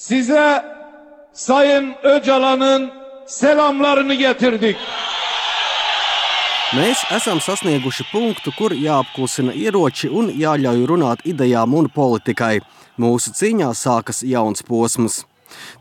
Size Sayın Öcalan'ın selamlarını getirdik. Mēs esam sasnieguši punktu, kur jāapklusina ieroči un jāļauj runāt idejām un politikai. Mūsu cīņā sākas jauns posms.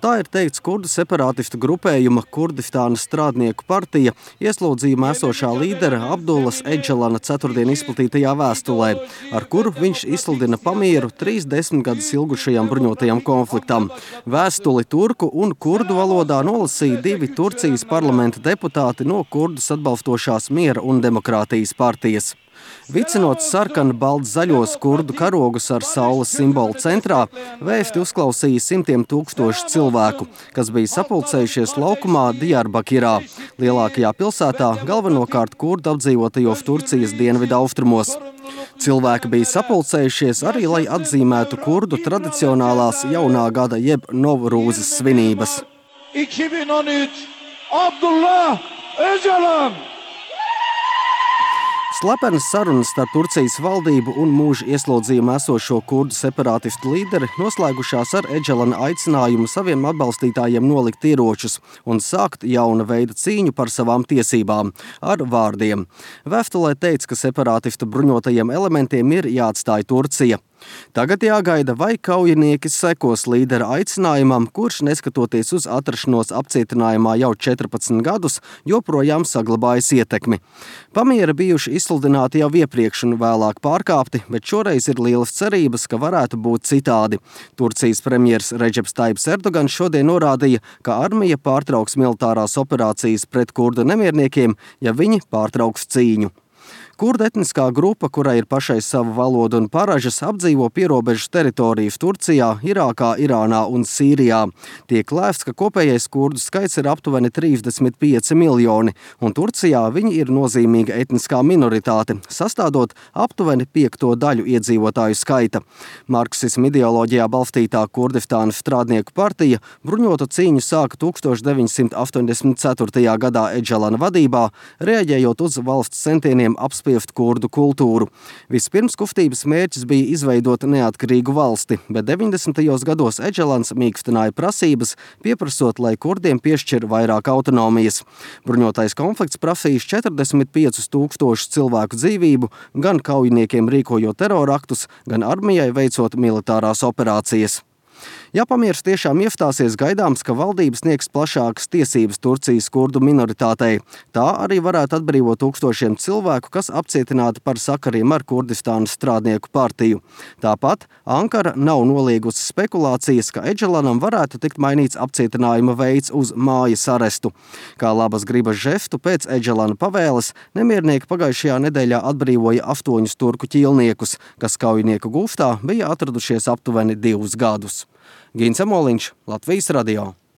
Tā ir teikts kurdu separātistu grupējuma Kurdistāna strādnieku partija ieslodzījumā esošā līdera Abdullas Edžalana ceturtdien izplatītajā vēstulē, ar kuru viņš izsludina pamieru 30 gadus ilgušajam bruņotajam konfliktam. Vēstuli turku un kurdu valodā nolasīja 2 Turcijas parlamenta deputāti no kurdus atbalstošās miera un demokrātijas partijas. Vicinot sarkanu baltzaļos kurdu karogus ar saules simbolu centrā, vēsti uzklausīja simtiem tūkstošu cilvēku, kas bija sapulcējušies laukumā Diyarbakirā, lielākajā pilsētā, galvenokārt kurdu apdzīvotajos Turcijas dienvidu austrumos. Cilvēki bija sapulcējušies arī, lai atzīmētu kurdu tradicionālās jaunā gada jeb Novrūzes svinības. 2013 Abdullah Öcalan! Slepenas sarunas starp Turcijas valdību un mūža ieslodzījumā esošo kurdu separātistu līderi noslēgušās ar Edžalana aicinājumu saviem atbalstītājiem nolikt ieročus un sākt jauna veida cīņu par savām tiesībām ar vārdiem. Vēstulē teica, ka separātistu bruņotajiem elementiem ir jāatstāj Turcija. Tagad jāgaida, vai kaujinieki sekos līdera aicinājumam, kurš, neskatoties uz atrašanos apcietinājumā jau 14 gadus, joprojām saglabājas ietekmi. Pamieri bijuši izsludināti jau iepriekš un vēlāk pārkāpti, bet šoreiz ir lielas cerības, ka varētu būt citādi. Turcijas premjers Redžeps Tajibs Erdogans šodien norādīja, ka armija pārtrauks militārās operācijas pret kurdu nemierniekiem, ja viņi pārtrauks cīņu. Kurdu etniskā grupa, kurai ir pašai sava valoda un paražas, apdzīvo pierobežas teritorijas Turcijā, Irākā, Irānā un Sīrijā. Tiek lēsts, ka kopējais kurdu skaits ir aptuveni 35 miljoni, un Turcijā viņi ir nozīmīga etniskā minoritāte, sastādot aptuveni 5. daļu iedzīvotāju skaita. Marksisma ideoloģijā balstītā Kurdistāna strādnieku partija bruņotu cīņu sāka 1984. gadā Edžalana vadībā, reaģējot uz valsts centieniem apspiest kurdu kultūru. Vispirms kustības mērķis bija izveidot neatkarīgu valsti, bet 90. gados Edžalans mīkstināja prasības, pieprasot, lai kurdiem piešķir vairāk autonomijas. Bruņotais konflikts prasījis 45 000 cilvēku dzīvību, gan kaujiniekiem rīkojot teroraktus, gan armijai veicot militārās operācijas. Ja pamieris tiešām iestāsies, gaidāms, ka valdības sniegs plašākas tiesības Turcijas kurdu minoritātei. Tā arī varētu atbrīvot tūkstošiem cilvēku, kas apcietināti par sakariem ar Kurdistānas strādnieku partiju. Tāpat Ankara nav noliegusi spekulācijas, ka Edžalanam varētu tikt mainīts apcietinājuma veids uz mājas arestu. Kā labas gribas žestu pēc Edžalana pavēles, nemiernieki pagājušajā nedēļā atbrīvoja 8 turku ķīlniekus, kas kaujinieku gūstā bija atradušies aptuveni 2 gadus. Gins Amoliņš, Latvijas radio.